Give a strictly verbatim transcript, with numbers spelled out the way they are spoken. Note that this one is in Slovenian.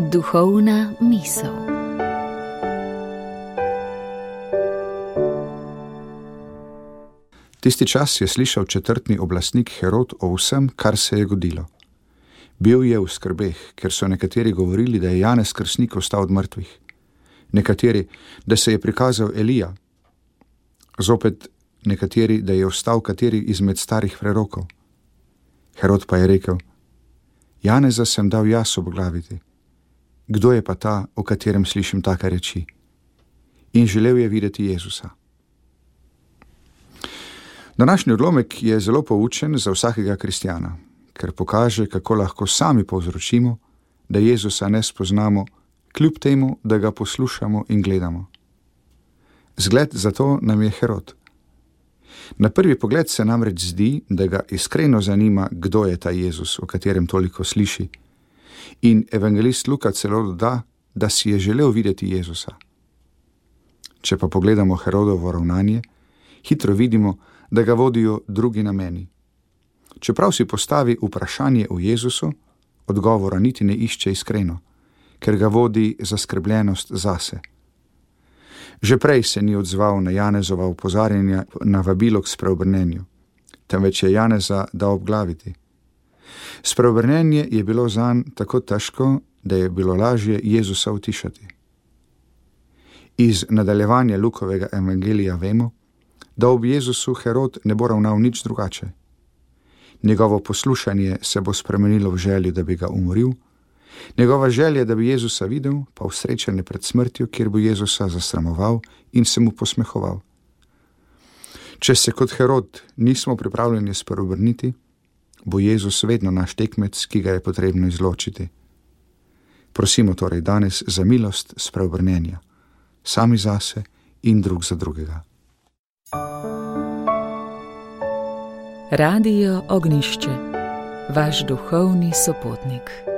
Duhovna misel. Tisti čas je slišal četrtni oblastnik Herod o vsem, kar se je godilo. Bil je v skrbeh, ker so nekateri govorili, da je Janez Krstnik vstal od mrtvih, nekateri, da se je prikazal Elija, zopet nekateri, da je vstal kateri izmed starih prerokov. Herod pa je rekel: Janeza sem dal jaz obglaviti. Kdo je pa ta, o katerem slišim take reči? In želel je videti Jezusa. Današnji odlomek je zelo poučen za vsakega kristjana, ker pokaže, kako lahko sami povzročimo, da Jezusa ne spoznamo, kljub temu, da ga poslušamo in gledamo. Zgled za to nam je Herod. Na prvi pogled se namreč zdi, da ga iskreno zanima, kdo je ta Jezus, o katerem toliko sliši. In evangelist Luka celo doda, da si je želel videti Jezusa. Če pa pogledamo Herodovo ravnanje, hitro vidimo, da ga vodijo drugi nameni. Čeprav si postavi vprašanje o Jezusu, odgovora niti ne išče iskreno, ker ga vodi zaskrbljenost zase. Že prej se ni odzval na Janezova opozarjanja na vabilo k spreobrnenju, temveč je Janeza dal obglaviti. Spreobrnenje je bilo zanj tako težko, da je bilo lažje Jezusa utišati. Iz nadaljevanja Lukovega evangelija vemo, da ob Jezusu Herod ne bo ravnal nič drugače. Njegovo poslušanje se bo spremenilo v željo, da bi ga umoril, njegova želja, da bi Jezusa videl, pa v srečanje pred smrtjo, kjer bo Jezusa zasramoval in se mu posmehoval. Če se kot Herod nismo pripravljeni spreobrniti, bo Jezus vedno naš tekmec, ki ga je potrebno izločiti. Prosimo torej danes za milost spreobrnenja, sami zase in drug za drugega. Radio Ognjišče, vaš duhovni sopotnik.